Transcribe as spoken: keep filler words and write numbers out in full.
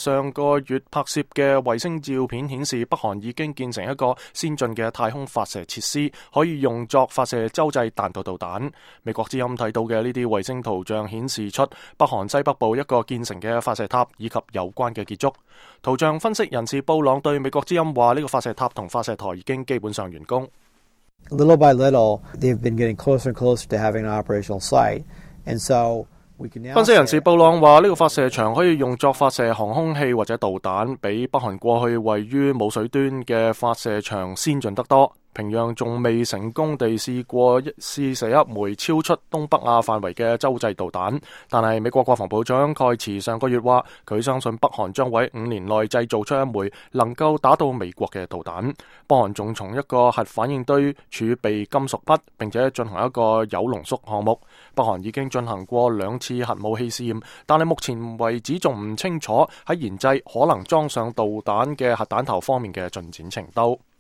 上個月拍攝嘅衛星照片顯示，北韓已經建成一個先進嘅太空發射設施，可以用作發射洲際彈道導彈。美國之音睇到嘅呢啲衛星圖像顯示出北韓西北部一個建成嘅發射塔以及有關嘅建築。圖像分析人士布朗對美國之音話，呢個發射塔同發射台已經基本上完工。Little by little, they've been getting closer and closer to having an operational site, and so分析人士布朗話，呢個發射場可以用作發射航空器或者導彈，比北韓過去位於冇水端嘅發射場先進得多。平壤仲未成功地試過試射一枚超出東北亞範圍嘅洲際導彈，但係美國國防部長蓋茨上個月話，佢相信北韓將會喺五年內製造出一枚能夠打到美國嘅導彈。北韓仲從一個核反應堆儲備金屬筆，並且進行一個鈾濃縮項目。北韓已經進行過兩次核武器試驗，但係目前為止仲唔清楚喺研製可能裝上導彈嘅核彈頭方面嘅進展程度。